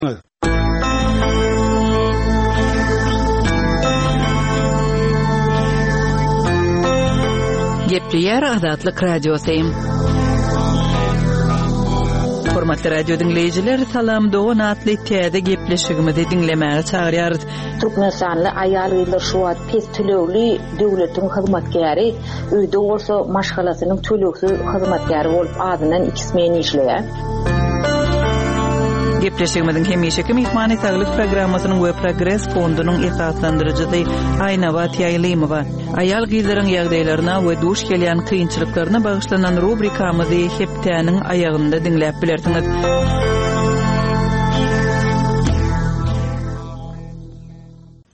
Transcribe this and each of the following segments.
Gepleýär Azatlyk Radiosy. Hormatly radio diňleýjiler, Salam dogan atly täze gepleşigimizi diňlemäge çagyrýarys. Türkmenistanly aýal-gyzlar şu wagt pes tölegli döwletiň hyzmatkäri, öýde bolsa maşgalasynyň tölegsiz hyzmatkäri bolup azyndan iki smen işleýär. Gepleşigimiziň hemişeki myhmany Saglyk programmasynyň we Progres fondunyň esaslandyryjysy Aýnabat Ýaýlymowa. Aýal-gyzlaryň ýagdaýlaryna we duş gelýän kynçylyklaryna bagyşlanan rubrikamyzy hepdäniň aýagynda diňläp bilersiňiz.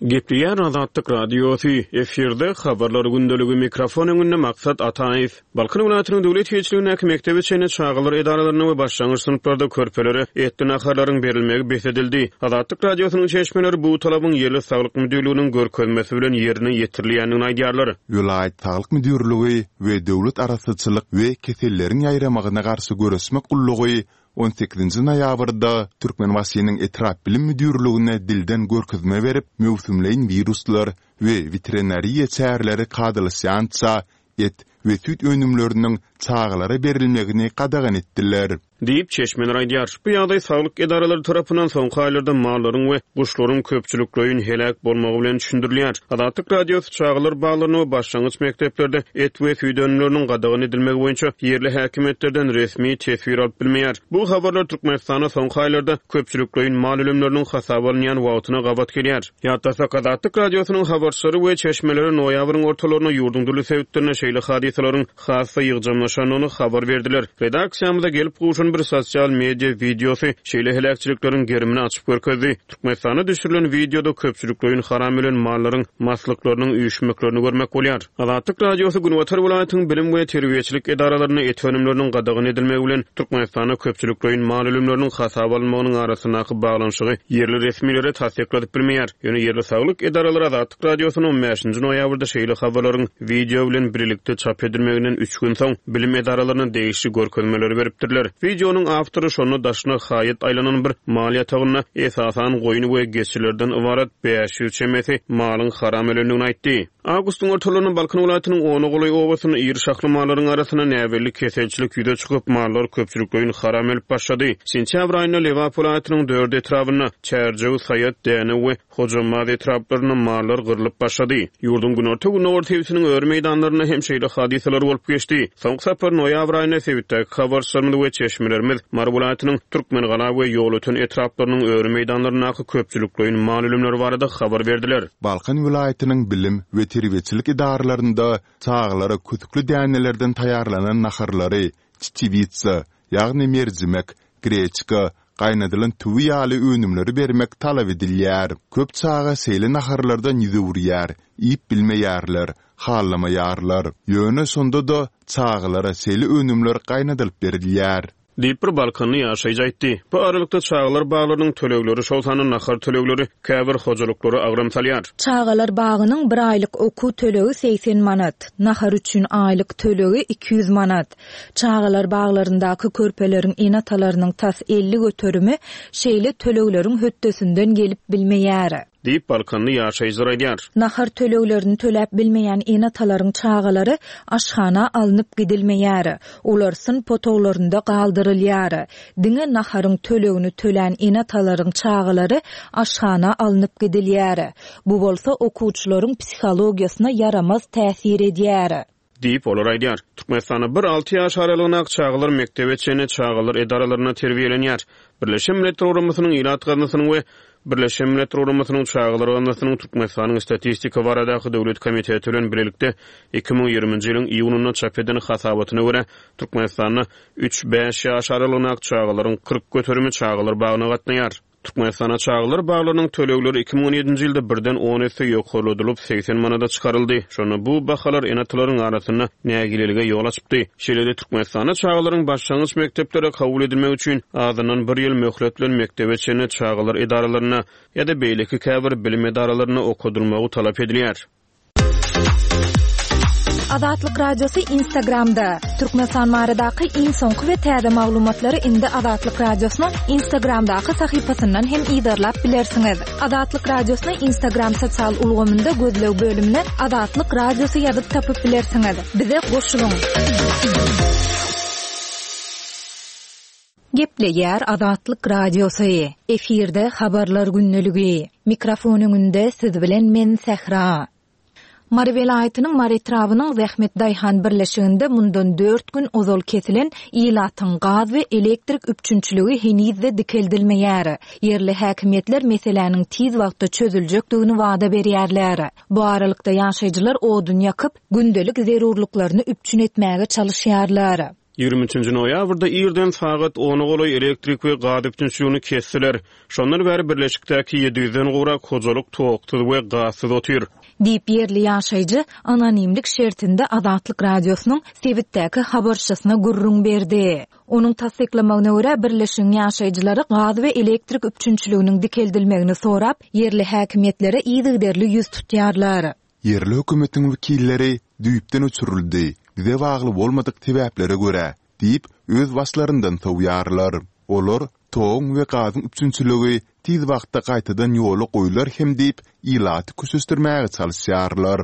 Gepleýär Azatlyk Radiosy, efirde Habarlar gündeligi, mikrofon öňünde Maksat Ataýew. Balkan welaýatynyň döwlet eýeçiligindäki mekdebe çenli çagalar edaralarynda we başlangyç synplarda körpelere etli naharlaryň berilmegi bes edildi. Azatlyk Radiosynyň çeşmeleri bu talabyň ýerli saglyk müdirliginiň görkezmesi bilen ýerine ýetirilýändigini aýdýarlar. Welaýat saglyk müdirligi we Döwlet arassaçylyk we keselleriň ýaýramagyna garşy göreşmek gullugy On sekizinji noýabrda Türkmenbaşynyň etrap bilim müdirligine dilden görkezme berip, möwsümleýin wiruslar we weterinariýa çäreleri kadalaşýança et we süýt önümleriniň çagalara berilmegini gadagan etdiler. Diýip, çeşmeler aýdýar. Bu ýagdaý saglyk edaralary tarapyndan soňky aýlarda mallaryň we guşlaryň köpçülikleýin heläk bolmagy bilen düşündirilýär. Azatlyk Radiosy çagalar baglarynda we başlangyç mekdeplerde et we süýt önümleriniň gadagan edilmegi boýunça ýerli häkimiýetlerden resmi teswir alyp bilmeýär. Bu habarlar Türkmenistanda soňky aýlarda köpçülikleýin mal ölümleriniň hasaba alynýan wagtyna gabat gelýär. Ýatlasak, Azatlyk Radiosynyň habarçylary we çeşmeleri noýabryň ortalarynda ýurduň dürli sebitlerinde şeýle hadysalaryň has-da ýygjamlaşandygyny habar berdiler. Redaksiýamyza gelip gowşan bir sosial media wideosy şeýle heläkçilikleriň gerimini açyp görkezdi. Türkmenistanda düşürilen wideoda köpçülikleýin haram ölen mallaryň maslyklarynyň üýşmeklerini görmek bolýar. Azatlyk Radiosy günbatar welaýatyň bilim we terbiýeçilik edaralarynda et önümleriniň gadagan edilmegi bilen Türkmenistanda köpçülikleýin mal ölümleriniň hasaba alynmagynyň arasyndaky baglanyşygy ýerli resmilere tassykladyp bilmeýär. Ýöne ýerli saglyk edaralary Azatlyk Radiosyna on bäşinji noýabrda şeýle habarlaryň wideo bilen birlikde çap edilmeginden üç gün soň bilim edaralaryna degişli görkezmeleri beripdirler. Wideonyň awtory şonda daşyna haýat aýlanan bir mal ýatagynda esasan goýun we geçilerden ybarat 500 çemesi malyň haram ölendigini aýtdy. Awgustyň ortalarynda Balkan welaýatynyň ona golaý obasynda iri şahly mallaryň arasynda näbelli keselçilik ýüze çykyp, mallar köpçülikleýin haram ölüp başlady. Sentýabr aýynda Lebap welaýatynyň dört etrabynda, Çärjew, Saýat, Dänew we Hojambaz etraplarynda mallar gyrlyp başlady. Ýurduň günorta-gündogar sebitiniň öri meýdanlarynda hem şeýle hadysalar bolup geçdi. Soňky sapar noýabr aýynda sebitdäki habarçylarymyz we çeşmelerimiz Mary welaýatynyň Türkmengala we Ýolöten etraplarynyň öri meýdanlaryndaky köpçülikleýin mal ölümleri barada habar berdiler. Balkan welaýatynyň bilim we terbiýeçilik edaralarynda çagalara kösükli dänelerden taýýarlanan naharlary, çeçewitsa, ýagny merjimek, greçka, gaýnadylan tüwi ýaly önümleri bermek talap edilýär. Köp çaga şeýle naharlardan ýüz öwürýär, iýip bilmeýärler, halamaýarlar. Ýöne şonda-da çagalara şeýle önümler gaýnadylyp berilýär. Diýip, bir balkanly ýaşaýjy aýtdy. Bu aralykda, çagalar baglarynyň tölegleri, şol sanda nahar tölegleri käbir hojalyklara agram salýar. Çagalar bagynyň bir aýlyk okuw tölegi 80 manat, nahar üçin aýlyk tölegi 200 manat. Çagalar baglaryndaky körpeleriň ene-atalarynyň tas 50 göterimi şeýle tölegleriň hötdesinden gelip bilmeýär. Diýip, balkanly ýaşaýjylar aýdýar. Nahar töleglerini töläp bilmeýän ene-atalaryň çagalary aşhana alnyp gidilmeýär. Olar synp otaglarynda galdyrylýar. Diňe naharyň tölegini tölän ene-atalaryň çagalary aşhana alnyp gidilýär. Bu bolsa okuwçylaryň psihologiýasyna ýaramaz täsir edýär. Diýip, olar aýdýar. Türkmenistanda bir alty ýaş aralygyndaky çagalar mekdebe çenli çagalar edaralarynda terbiýelenýär. Birleşen Milletler Guramasynyň Ilat gaznasynyň we Birleşen Milletler Guramasynyň Çagalar gaznasynyň Türkmenistanyň Statistika baradaky döwlet komiteti bilen bilelikde 2020-nji ýylyň iýunynda çap eden hasabatyna görä, Türkmenistanda üç-bäş ýaş aralygyndaky çagalaryň 40 göterimi çagalar bagyna gatnaýar. Türkmenistanda çagalar baglarynyň tölegleri 2017-nji ýylda birden on esse ýokarladylyp, 80 manada çykaryldy. Şonda bu bahalar ene-atalaryň arasynda nägilelige ýol açypdy. Şeýle-de Türkmenistanda çagalaryň başlangyç mekdeplere kabul edilmegi üçin azyndan bir ýyl möhlet bilen mekdebe çenli çagalar edaralarynda ýa-da beýleki käbir bilim edaralarynda okadylmagy talap edilýär. Azatlyk Radiosy Instagramda! Türkmenistan baradaky iň soňky we täze maglumatlary indi Azatlyk Radiosynyň Instagramdaky sahypasyndan hem yzarlap bilersiňiz. Azatlyk Radiosyny Instagram sosial ulgamynda gözleg bölümine Azatlyk Radiosy ýazyp tapyp bilersiňiz. Bize goşulyň! Gepleýär Azatlyk Radiosy, efirde Habarlar gündeligi. Mikrofon öňünde siz bilen men Sähra. Mary welaýatynyň Mary etrabynyň Zähmet daýhan birleşiginde mundan dört gün ozal kesilen ilatyň gaz we elektrik üpjünçiligi heniz-de dikeldilmeýär. Ýerli häkimiýetler meseläniň tiz wagtda çözüljekdigini wada berýärler. Bu aralykda ýaşaýjylar odun ýakyp, gündelik zerurlyklaryny üpjün etmäge çalyşýarlar. 23-nji noýabrda irden sagat ona golaý elektrik we gaz üpjünçiligini kesdiler. Şondan bäri birleşikdäki 700-den gowrak hojalyk toksuz we gazsyz otyr. Diýip, ýerli ýaşaýjy anonimlik şertinde Azatlyk Radiosynyň sebitdäki habarçysyna gürrüň berdi. Onuň tassyklamagyna görä, birleşigiň ýaşaýjylary gaz we elektrik üpjünçiliginiň dikeldilmegini sorap, ýerli häkimiýetlere yzygiderli ýüz tutýarlar. Ýerli hökümetiň wekilleri düýpden öçürildi, bize bagly bolmadyk sebäplere görä diýip, öz başlaryndan sowýarlar. Olar toguň we gazyň üpjünçiligi tiz wagtda gaýtadan ýola goýlar hem diýip, ilaty köşeşdirmäge çalyşýarlar.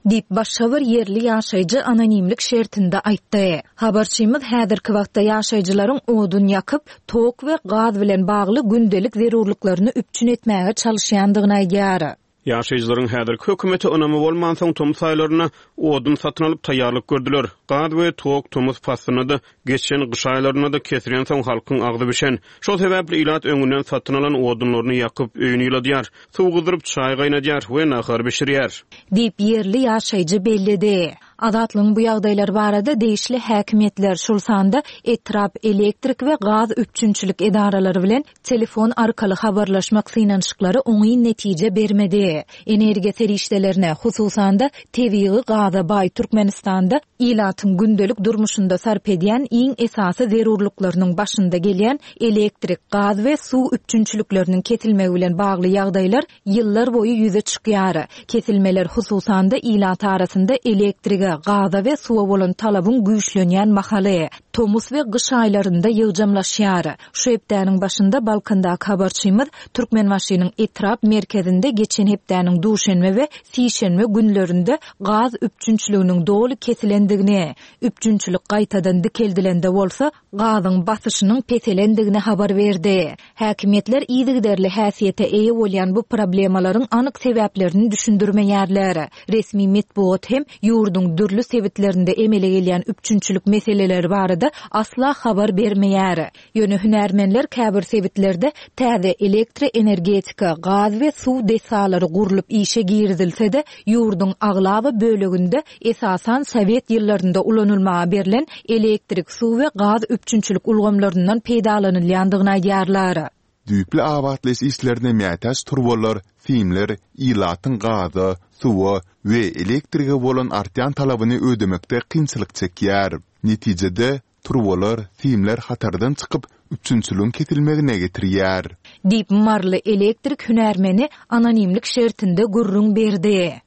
Diýip, başga bir ýerli ýaşaýjy anonimlik şertinde aýtdy. Habarçymyz häzirki wagtda ýaşaýjylaryň odun ýakyp, tok we gaz bilen bagly gündelik zerurlyklaryny üpjün etmäge çalyşýandygyny aýdýar. Ýaşaýjylaryň häzirki hökümete ynamy bolmansoň, tomus aýlarynda odun satyn alyp taýýarlyk gördüler. Gaz we tok tomus paslynda-da, geçen gyş aýlarynda-da kesilensoň halkyň agzy bişen. Şol sebäpli ilat öňünden satyn alan odunlaryny ýakyp, öýüni ýyladýar, suw gyzdyryp, çaý gaýnadýar we nahar bişirýär. Diýip, ýerli ýaşaýjy belledi. Azatlygyň bu ýagdaýlar barada degişli häkimiýetler, şol sanda etrap elektrik we gaz üpjünçilik edaralary bilen Telefon arkaly habarlaşmak synanyşyklary oňyn netije bermedi. Energiýa serişdelerine, hususan-da, tebigy gaza baý Türkmenistanda ilatyň gündelik durmuşynda sarp edýän iň esasy zerurlyklarynyň başynda gelýän elektrik, gaz we suw üpjünçilikleriniň kesilmegi bilen bagly ýagdaýlar ýyllar boýy ýüze çykýar. Kesilmeler, hususan-da, ilat arasynda elektrige, gaza we suwa bolan talabyň güýçlenýän mahaly, tomus we gyş aýlarynda ýygjamlaşýar. Şu hepdäniň başynda Balkandaky habarçymyz Türkmenbaşynyň etrap merkezinde geçen hepdäniň duşenbe we sişenbe günlerinde gaz üpjünçiliginiň doly kesilendigini, üpjünçilik gaýtadan dikeldilende bolsa, gazyň basyşynyň peselendigini habar berdi. Häkimiýetler yzygiderli häsiýete eýe bolýan bu problemalaryň anyk sebäplerini düşündirmeýärler. Resmi metbugat hem ýurduň dürli sebitlerinde emele gelýän üpjünçilik meseleleri barada asla habar bermeýär. Ýöne hünärmenler käbir sebitlerde täze elektroenergetika, gaz we suw desgalary gurlup işe girizilse-de, ýurduň aglaba böleginde esasan sowet ýyllarynda ulanylmaga berlen elektrik, suw we gaz üpjünçilik ulgamlaryndan peýdalanylýandygyny aýdýarlar. Düýpli abatlaýyş işlerine mätäç turbalar, simler ilatyň gaza, suwa we elektrige bolan artýan talabyny ödemekde kynçylyk çekýär. Netijede, turbalar, simler hatardan çykyp, üpjünçiligiň kesilmegine getirýär. Diýip, maryly elektrik hünärmeni anonimlik şertinde gürrüň berdi.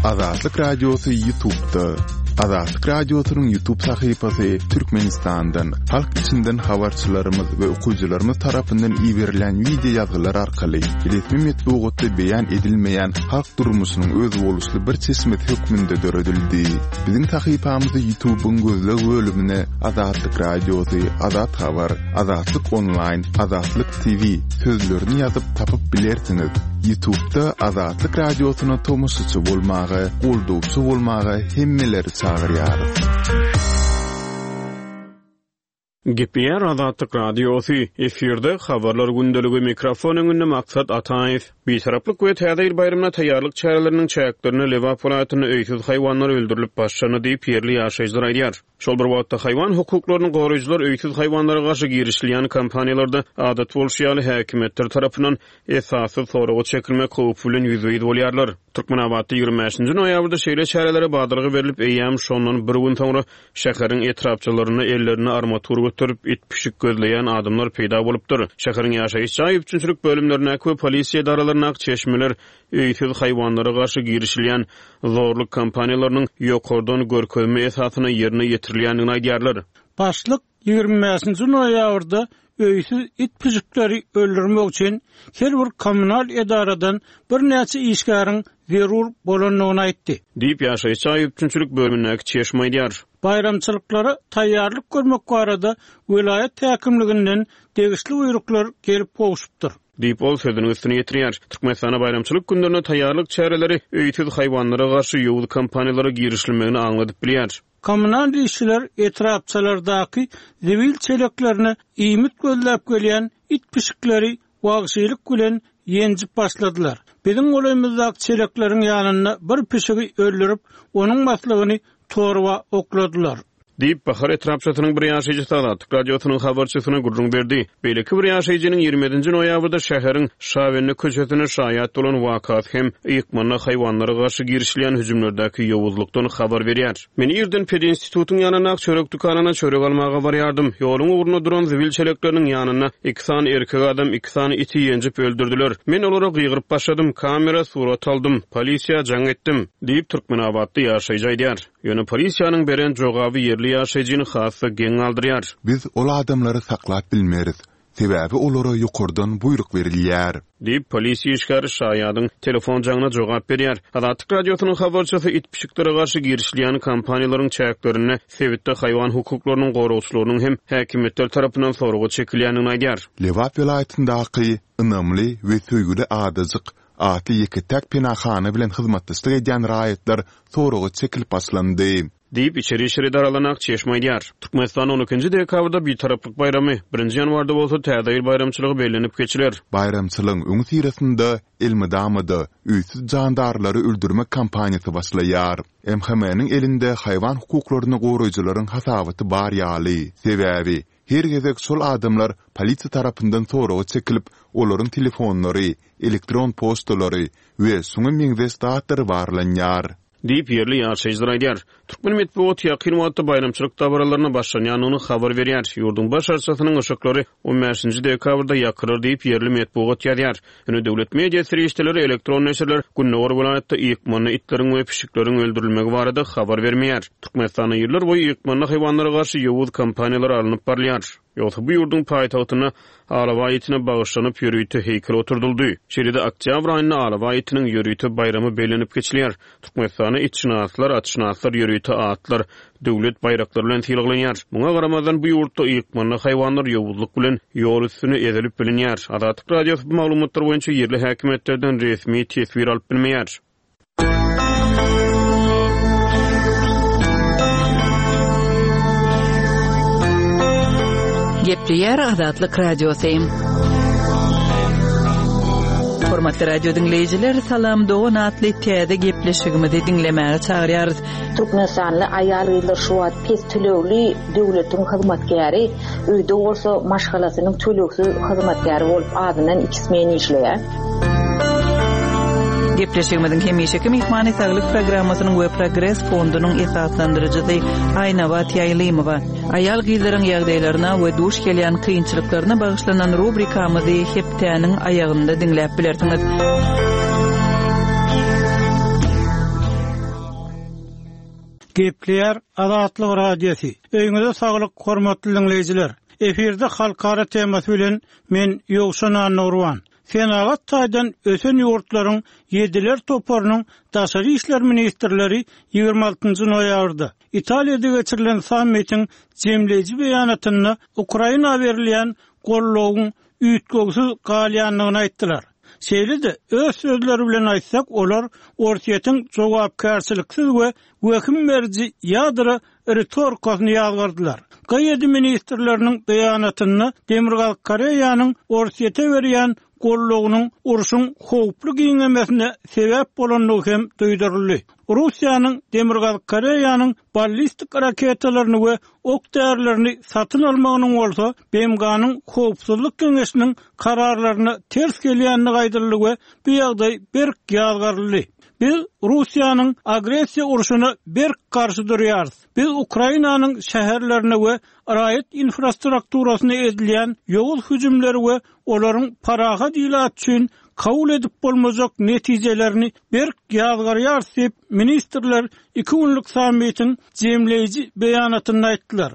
Azatlyk Radiosy Ýutubda. Azatlyk Radiosynyň Ýutub sahypasy Türkmenistandan, halk içinden habarçylarymyz we okyjylarymyz tarapyndan iberilen wideo ýazgylar arkaly resmi metbugatda beýan edilmeýän halk durmuşynyň özboluşly bir çeşmesi hökmünde döredildi. Biziň sahypamyzy Ýutubyň gözleg bölümine Azatlyk Radiosy, Azat Habar, Azatlyk Onlaýn, Azatlyk TV sözlerini ýazyp tapyp bilersiňiz. Ýutubda Azatlyk Radiosyna tomaşaçy bolmaga, goldawçy bolmaga hemmeleri çagyrýarys. Gepleýär Azatlyk Radiosy, efirde Habarlar gündeligi, mikrofon öňünde Maksat Ataýew. Bitaraplyk we Täze ýyl baýramyna taýýarlyk çäreleriniň çäklerinde Lebap welaýatynda öýsüz haýwanlar öldürilip başlandy diýip, ýerli ýaşaýjylar aýdýar. Şol bir wagtda, haýwan hukuklaryny goraýjylar öýsüz haýwanlara garşy girişilýän kampaniýalarda, adat bolşy ýaly, häkimiýetler tarapyndan esassyz soraga çekilmek howpy bilen ýüzbe-ýüz bolýarlar. Türkmenabatda 25-nji noýabrda şeýle çärelere badalga berlip, eýýäm şondan bir gün soňra şäheriň etrapçalarynda ellerinde armatur göterip, it-pişik gözleýän adamlar peýda bolupdyr. Şäheriň ýaşaýyş jaý üpjünçilik bölümlerindäki we polisiýa edaralaryndaky çeşmeler öýsüz haýwanlara garşy girişilýän zorluk kampaniýalarynyň ýokardan görkezme esasynda ýerine ýetirilýändigini aýdýarlar. Başlyk 25-nji noýabrda öýsüz it-pişikleri öldürmek üçin her bir kommunal edaradan birnäçe işgäriň zerur bolandygyny aýtdy. Diýip, ýaşaýyş jaý üpjünçilik bölümindäki çeşme aýdýar. Baýramçylyklara taýýarlyk görmek barada welaýat häkimliginden degişli buýruklar gelip gowşupdyr. Diýip, ol sözüniň üstüni ýetirýär. Türkmenistanda baýramçylyk günlerine taýýarlyk çäreleri öýsüz haýwanlara garşy ýowuz kampaniýalara girişilmegini aňladyp bilýär. Kommunal işçiler etrapçalardaky zibil çeleklerine iýmit gözläp gelýän it-pişikleri wagşylyk bilen ýenjip başladylar. Biziň golaýymyzdaky çelekleriň ýanynda bir pişigi öldürip, onuň maslygyny torba okladylar. Diýip, Bahar etrapçasynyň bir ýaşaýjysy Azatlyk Radiosynyň habarçysyna gürrüň berdi. Beýleki bir ýaşaýjynyň 27-nji noýabrda şäheriň Şabende köçesinde şaýat bolan wakasy hem ykmanda haýwanlara garşy girişilýän hüjümlerdäki ýowuzlykdan habar berýär. Men irden pedinstitutyň ýanyndaky çörek dükanyna çörek almaga barýardym. Ýoluň ugrunda duran zibil çelekleriniň ýanynda iki sany erkek adam iki sany iti ýenjip öldürdiler. Men olara gygyryp başladym, kamera surat aldym, polisiýa jaň etdim. Diýip, türkmenabatly ýaşaýjy aýdýar. Ýöne polisiýanyň beren jogaby ýerli ýaşaýjyny has-da geň galdyrýar. Biz ol adamlary saklap bilmeris. Sebäbi olara ýokardan buýruk berilýär. Diýip, polisiýa işgäri şaýadyň telefon jaňyna jogap berýär. Azatlyk Radiosynyň habarçysy it-pişiklere garşy girişilýän kampaniýalaryň çäklerinde sebitde haýwan hukuklarynyň goragçylarynyň hem häkimiýetler tarapyndan soraga çekilýändigini aýdýar. Lebap welaýatyndaky Ynamly we söýgüli adajyk atly ýeke-täk penahana bilen hyzmatdaşlyk edýän raýatlar soraga çekilip başlandy. Diýip, içeri işler edaralaryna çeşme aýdýar. Türkmenistanda on ikinji dekabrda Bitaraplyk baýramy, birinji ýanwarda bolsa Täze ýyl baýramçylygy bellenip geçiler. Baýramçylygyň öňüsyrasynda elmydama-da öýsüz jandarlary öldürmek kampaniýasy başlaýar. MHM-niň elinde haýwan hukuklaryny goraýjylaryň hasabaty bar ýaly. Sebäbi, her gezek şol adamlar polisiýa tarapyndan soraga çekilip, olaryň telefonlary, elektron poçtalary we şuňa meňzeş zatlary barlanýar. Diýip, ýerli ýaşaýjylar aýdýar. Türkmen metbugaty ýakyn wagtda baýramçylyk dabaralaryna başlanýandygyny habar berýär. Ýurduň baş arçasynyň yşyklary on bäşinji dekabrda ýakylar diýip, ýerli metbugat ýazýar. Ýöne döwlet media serişdeleri, elektron neşirler gündogar welaýatda ýykmanda itleriň we pişikleriň öldürilmegi barada habar bermeýär. Türkmenistanda ýyllarboýy ýykmanda haýwanlara garşy ýowuz kampaniýalar alnyp barylýar. Ýogsa bu ýurduň paýtagtynda alabaý itine bagyşlanyp ýörite heýkel oturdyldy. Şeýle-de oktýabr aýynda alabaý itiniň ýörite baýramy bellenip geçilýär. Türkmenistanda itşynaslar, atşynaslar ýörite atlar, döwlet baýraklary bilen sylaglanýar. Muňa garamazdan bu ýurtda ykmanda haýwanlar ýowuzlyk bilen ýol üstüne ezilip bilinýär. Azatlyk Radiosy bu maglumatlar boýunça ýerli häkimiýetlerden resmi teswir alyp bilmeýär. Gepleýär Azatlyk Radiosy. Hormatly radio diňleýjiler, Salam dogan atly täze gepleşigimizi diňlemäge çagyrýarys. Türkmenistanly aýal-gyzlar şu wagt pes tölegli döwletiň hyzmatkäri, öýde bolsa maşgalasynyň tölegsiz hyzmatkäri bolup azyndan iki smen işleýär. Gepleşigimiziň hemişeki myhmany Saglyk programmasynyň we Progres fondunyň esaslandyryjysy Aýnabat Ýaýlymowa. Aýal-gyzlaryň ýagdaýlaryna we duş gelýän kynçylyklaryna bagyşlanan rubrikamyzy hepdäniň aýagynda diňläp bilersiňiz. Gepleýär Azatlyk Radiosy. Öýüňize saglyk hormatly diňleýjiler. Efirde halkara temasy bilen men Ýowşan Annagurban. Senagat taýdan ösen ýurtlaryň Ýediler toparynyň daşary işler ministrleri 26-njy noýabrda Italiýada geçirilen sammitiň jemleýji beýanatynda Ukraina berilýän goldawyň üýtgewsiz galýandygyny aýtdylar. Şeýle-de, öz sözleri bilen aýtsak, olar Orsýetiň jogapkärçiliksiz we wehim beriji ýadro ritorikasyny ýazgardylar. GD ministrleriniň beýanatynda Demirgazyk Koreýanyň Orsýete berýän goldawynyň urşuň howply giňemesine sebäp bolandygy hem duýduryldy. Russiýanyň Demirgazyk Koreýanyň ballistik raketalaryny we ok-därilerini satyn almagynyň bolsa BMG-niň Howpsuzlyk Geňeşiniň kararlaryna ters gelýändigi aýdyldy we bu ýagdaý berk ýazgaryldy. Biz Russiýanyň agressiýa urşuna berk garşy durýarys. Biz Ukrainanyň şäherlerine we raýat infrastrukturasyna edilýän ýowuz hüjümleri we olaryň parahat ilat üçin kabul edip bolmajak netijelerini berk ýazgarýarys diýip, ministrler iki günlük sammitiň jemleýji beýanatynda aýtdylar.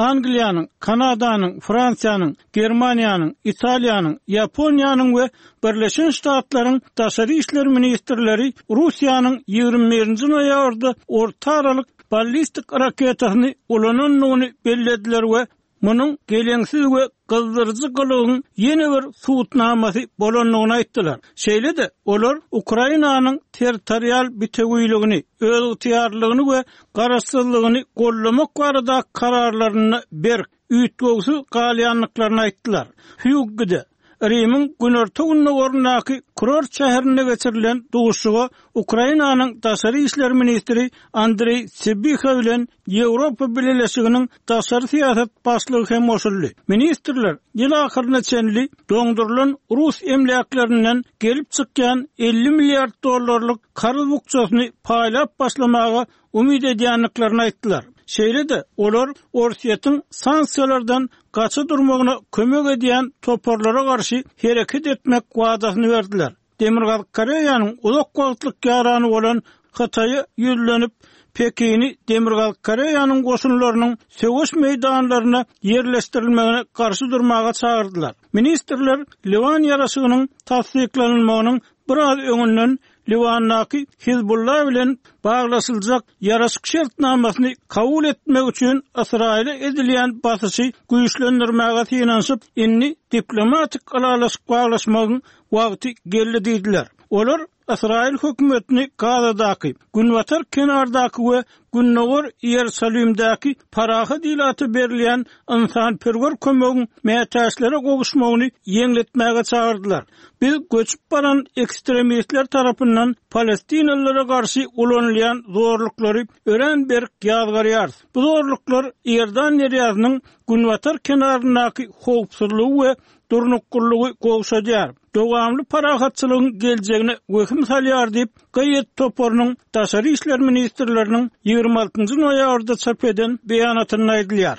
Angliýanyň, Kanadanyň, Fransiýanyň, Germaniýanyň, Italiýanyň, Ýaponiýanyň we Birleşen Ştatlaryň daşary işler ministrleri Russiýanyň 21-nji noýabrda orta aralyk ballistik raketasyny ulanandygyny bellediler we munuň geleňsiz we gyzdyryjy gylygyň ýene bir subutnamasy bolandygyny aýtdylar. Şeýle-de, olar Ukrainanyň territorial bitewiligini, özygtyýarlylygyny we garaşsyzlygyny goldamak baradaky kararlarynda berk, üýtgewsiz galýandyklaryny aýtdylar. Hýuggide, Rimiň günorta-gündogaryndaky kurort şäherinde geçirilen duşuşyga Ukrainanyň daşary işler ministri Andreý Sybiha bilen Ýewropa Bileleşiginiň daşary syýasat başlygy hem goşuldy. Ministrler ýyl ahyryna çenli doňdurylan rus emläklerinden gelip çykýan 50 milliard dollarlyk karz bukjasyny paýlap başlamaga umyt edýändiklerini aýtdylar. Şeýle-de, olar Orsýetiň sanksiýalardan gaça durmagyna kömek edýän toparlara garşy hereket etmek wadasyny berdiler. Demirgazyk Koreýanyň uzak wagtlyk ýarany bolan Hytaýa ýüzlenip, Pekini Demirgazyk Koreýanyň goşunlarynyň söweş meýdanlaryna ýerleşdirilmegine garşy durmaga çagyrdylar. Ministrler Liwan ýaraşygynyň tassyklanylmagynyň biraz öňünden Liwandaky Hizbulla bilen baglaşyljak ýaraşyk şertnamasyny kabul etmek üçin Ysraýyla edilýän basyşy güýçlendirmäge synanyşyp, indi diplomatik ylalaşyk baglaşmagyň wagty geldi diýdiler. Olar Ysraýyl hökümetini Gazadaky, Günbatar kenardaky we Gündogar Iýerusalimdäki parahat ilata berilýän ynsanperwer kömegiň mätäçlere gowuşmagyny ýeňletmäge çagyrdylar. Biz göçüp baran ekstremistler tarapyndan palestinalylara garşy ulanylýan zorluklary örän berk ýazgarýarys. Bu zorluklar Iordan derýasynyň günbatar kenaryndaky howpsuzlygy we durnuklylygy gowşadýar, dowamly parahatçylygyň geljegine wehim salýar diýip, GIED toparynyň daşary işler ministrleriniň 26 noýabrda çap eden beýanatynda aýdylýar.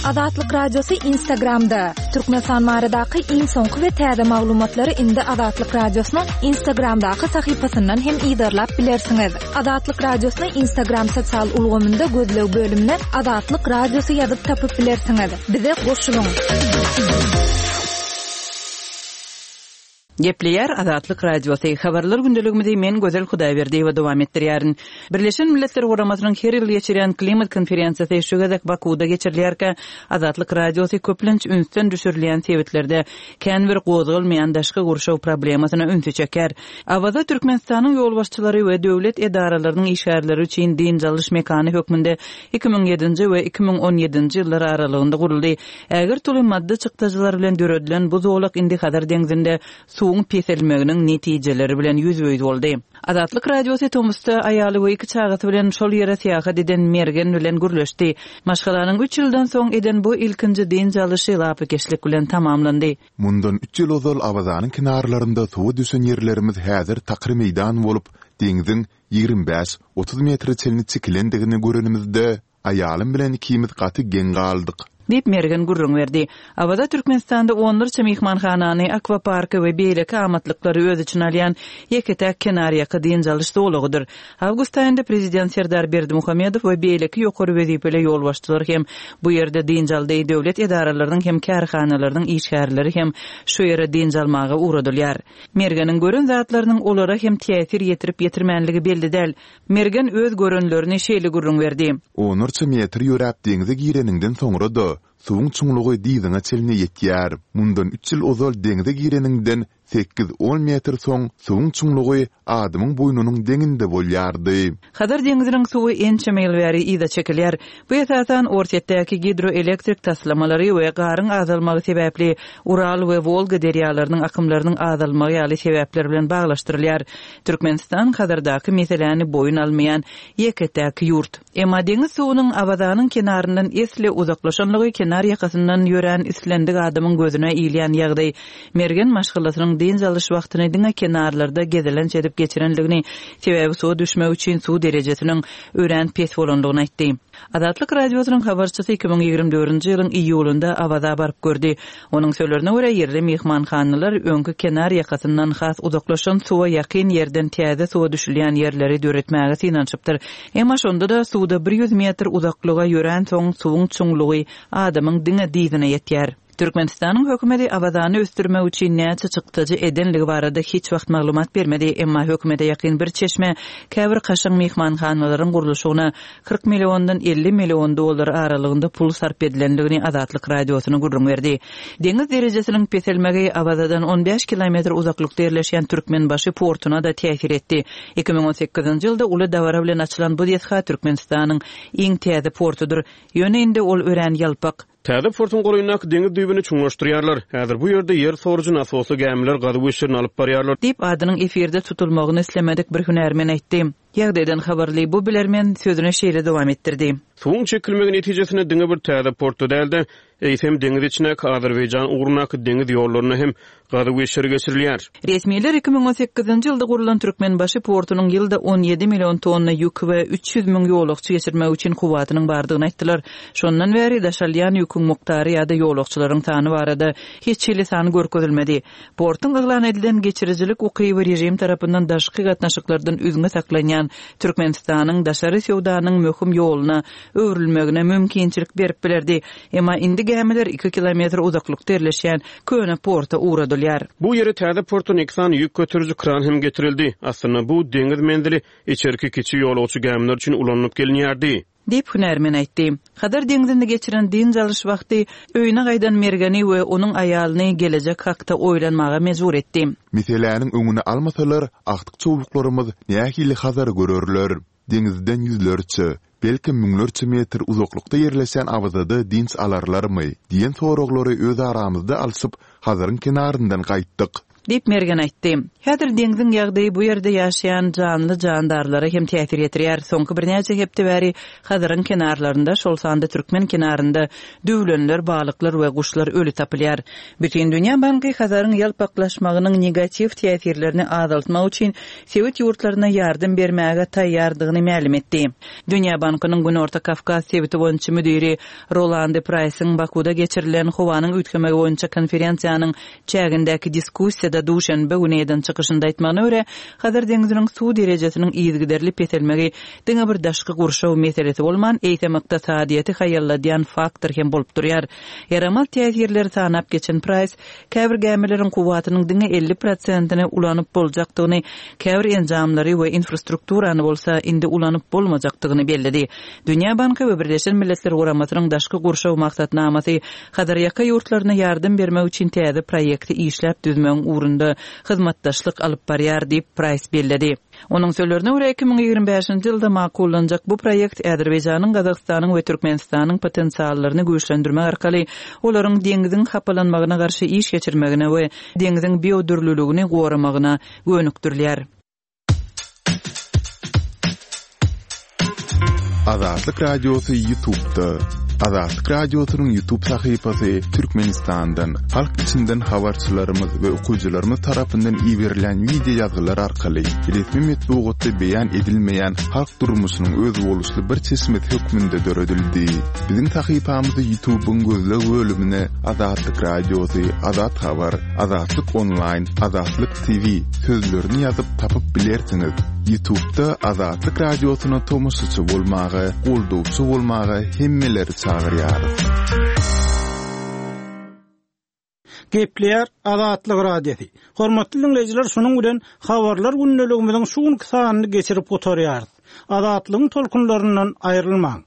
Azatlyk Radiosy Instagramda, Türkmenistan baradaky iň soňky we täze maglumatlary indi Azatlyk Radiosynyň Instagramdaky sahypasyndan hem yzarlap bilersiňiz. Azatlyk Radiosyny Instagram sosial ulgamynda gözleg bölümine Azatlyk Radiosy ýazyp tapyp bilersiňiz. Bize goşulyň! Gepleýär Azatlyk Radiosy, Habarlar gündeligimizi men Gözel Hudaýberdiýewa dowam etdirýärin. Birleşen Milletler Guramasynyň her ýyl geçirýän klimat konferensiýasy şu gezek Bakuwda geçirilýärkä, Azatlyk Radiosy köplenç ünsden düşürilýän sebitlerde kän bir gozgalmaýan daşky gurşaw problemasyna ünsi çekýär. Awaza Türkmenistanyň ýolbaşçylary we döwlet edaralarynyň işgärleri üçin dynç alyş mekany hökmünde 2007-nji we 2017-nji ýyllar aralygynda guruldy. Ägirt uly maddy çykdajylar bilen döredilen bu zolak indi Hazar deňzinde suwuň peselmeginiň netijeleri bilen ýüzbe-ýüz boldy. Azatlyk Radiosy tomusda aýaly we iki çagasy bilen şol ýere syýahat eden Mergen bilen gürleşdi. Maşgalanyň üç ýyldan soň eden bu ilkinji dynç alyşy lapykeçlik bilen tamamlandy. Mundan üç ýyl ozal Awazanyň kenarlarynda suwa düşen ýerlerimiz häzir takyr meýdan bolup, deňziň 25, 30 metre çenli çekilendigini görenimizde, Aýalym bilen ikimiz gaty geň galdyk. Diýip, Mergen gürrüň berdi. Awaza Türkmenistanda onlarça myhmanhanany, akwaparky we beýleki amatlyklary öz içine alýan ýeke-täk kenarýaka dynç alyş zolagydyr. Awgust aýynda prezident Serdar Berdimuhamedow we beýleki ýokary wezipeli ýolbaşçylar hem bu ýerde dynç aldy, döwlet edaralarynyň hem kärhanalarynyň işgärleri hem şu ýere dynç almaga ugradylýar. Mergeniň gören zatlarynyň olara hem täsir ýetirip-ýetirmänligi belli däl. Mergen öz görenlerini şeýle gürrüň berdi. Onlarça metr ýöräp deňze gireniňden soňra-da, suwuň çuňlugy dyzyňa çenli ýetýär. Mundan üç ýyl ozal deňze gireniňden sekiz-on metr soň suwuň çuňlugy adamyň boýnunyň deňinde bolýardy. Hazar deňziniň suwy ençeme ýyl bäri yza çekilýär. Bu esasan Orsýetdäki gidroelektrik taslamalary we garyň azalmagy sebäpli Ural we Wolga derýalarynyň akymlarynyň azalmagy ýaly sebäpler bilen baglaşdyrylýar. Türkmenistan Hazardaky meseläni boýun almaýan ýeke-täk ýurt. Emma deňiz suwunyň Awazanyň kenaryndan esli uzaklaşanlygy kenar ýakasyndan ýörän islendik adamyň gözüne ilýän ýagdaý. Mergen maşgalasynyň. dynç alyş wagtyny diňe kenarlarda gezelenç edip geçirendigini, sebäbi suwa düşmek üçin suw derejesiniň örän pes bolandygyny aýtdy. Azatlyk Radiosynyň habarçysy 2024-nji ýylyň iýulynda Awaza baryp gördi. Onuň sözlerine görä, ýerli myhmanhanalar öňki kenar ýakasyndan has uzaklaşan suwa ýakyn ýerden täze suwa düşülýän ýerleri döretmäge synanyşypdyr. Emma şonda-da suwda bir ýüz metr uzaklyga ýöränsoň suwuň çuňlugy adamyň diňe dyzyna ýetýär. Türkmenistanyň hökümeti Awazany ösdürmek üçin näçe çykdajy edenligi barada hiç wagt maglumat bermedi, emma hökümete ýakyn bir çeşme käbir kaşaň myhmanhanalaryň gurluşygyna 40 milliondan 50 million dollar aralygynda pul sarp edilendigini Azatlyk Radiosyna gürrüň berdi. Deňiz derejesiniň peselmegi Awazadan 15 kilometr uzaklykda ýerleşýän Türkmenbaşy portuna-da täsir etdi. 2018-nji ýylda uly dabara bilen açylan bu desga Türkmenistanyň iň täze portudyr. Ýöne indi ol örän ýalpak. Täze portuň golaýyndaky deňiz düýbüni çuňlaşdyrýarlar. Häzir bu ýerde ýer sorujy nasosly gämiler gazuw işlerini alyp barýarlar. Diýip, adynyň efirde tutulmagyny islemedik bir hünärmen aýtdy. Ýagdaýdan habarly bu bilermen sözüni şeýle dowam etdirdi. Suwuň çekilmegi netijesinde diňe bir täze portda däl-de, eýsem, deňiz içindäki Azerbaýjan ugrundaky deňiz ýollarynda hem gazuw işleri geçirilýär. Resmiler 2018-nji ýylda gurlan Türkmenbaşy portunyň ýylda 17 million tonna ýük we 300 müň ýolagçy geçirmek üçin kuwwatynyň bardygyny aýtdylar. Şondan bäri daşalýan ýüküň mukdary ýa-da ýolagçylaryň sany barada hiç hili san görkezilmedi. Portuň yglan edilen geçirijilik ukyby režim tarapyndan daşky gatnaşyklardan üzňe saklanýan Türkmenistanyň daşary söwdanyň möhüm ýoluna öwrülmegine mümkinçilik berip bilerdi. Emma indi gämiler iki kilometr uzaklykda ýerleşýän köne porta ugradylýar. Bu ýere täze portdan iki sany ýük göteriji kran hem getirildi. Aslynda bu deňiz menzili içerki kiçi ýolagçy gämiler üçin ulanylyp gelinýärdi. Diýip, hünärmen aýtdy. Hazar deňzinde geçiren dynç alyş wagty öýüne gaýdan Mergeni we onuň aýalyny gelejek hakda oýlanmaga mejbur etdi. Meseläniň öňüni almasalar, agtyk-çowluklarymyz nähili Hazary görerler? Deňizden ýüzlerçe, belkem müňlerçe metr uzaklykda ýerleşen Awazada dynç alarlarmy? diýen soraglary öz aramyzda alşyp, Hazaryň kenaryndan gaýtdyk. Diýip, Mergen aýtdy. Häzir deňziň ýagdaýy bu ýerde ýaşaýan janly-jandarlara hem täsir ýetirýär. Soňky birnäçe hepde bäri Hazaryň kenarlarynda, şol sanda türkmen kenarynda düwlenler, balyklar we guşlar öli tapylýar. Bütindünýä banky Hazaryň ýalpaklaşmagynyň negatiw täsirlerini azaltmak üçin sebit ýurtlaryna ýardam bermäge taýýardygyny mälim etdi. Dünýä bankynyň Günorta Kawkaz sebiti boýunça müdiri Rolande Praýsyň Bakuda geçirilen howanyň üýtgemegi boýunça konferensiýanyň çägindäki diskussiýada duşenbe güni eden çykyşynda aýtmagyna görä, Hazar deňziniň suw derejesiniň yzygiderli peselmegi diňe bir daşky gurşaw meselesi bolman, eýsem ykdysadyýeti haýalladýan faktor hem bolup durýar. Ýaramaz täsirleri sanap geçen Praýs, käbir gämileriň kuwwatynyň diňe 50 prosentini ulanyp boljakdygyny, käbir enjamlary we infrastrukturany bolsa indi ulanyp bolmajakdygyny belledi. Dünýä banky we Birleşen Milletler Guramasynyň Daşky gurşaw maksatnamasy Hazarýaka ýurtlaryna ýardam bermek üçin täze proýekti işläp düzmegiň ugrunda hyzmatdaşlyk alyp barýar diýip, Praýs belledi. Onuň sözlerine görä, 2025-nji ýylda makullanjak bu proýekt Azerbaýjanyň, Gazagystanyň we Türkmenistanyň potensiallaryny güýçlendirmek arkaly olaryň deňziň hapalanmagyna garşy iş geçirmegine we deňziň biodürlüligini goramagyna gönükdirilýär. Azatlyk Radiosy YouTube'da. Azatlyk Radiosynyň YouTube sahypasy Türkmenistandan, halk içinden habarçylarymyz we okyjylarymyz tarapyndan iberilen wideo ýazgylar arkaly resmi metbugatda beýan edilmeýän halk durmuşynyň özboluşly bir çeşmesi hökmünde döredildi. Biziň sahypamyzy YouTube'yň gözleg bölümine Azatlyk Radiosy, Azat Habar, Azatlyk Onlaýn, Azatlyk TV sözlerini ýazyp tapyp bilersiňiz. Ýutubda Azatlyk Radiosyna tomaşaçy bolmaga, goldawçy bolmaga hemmeleri çagyrýarys. Gepleýär Azatlyk Radiosy. Hormatly diňleýjiler şunuň bilen Habarlar gündeligimiziň şu günki sanyny geçirip gutarýarys. Azatlygyň tolkunlaryndan aýrylmaň.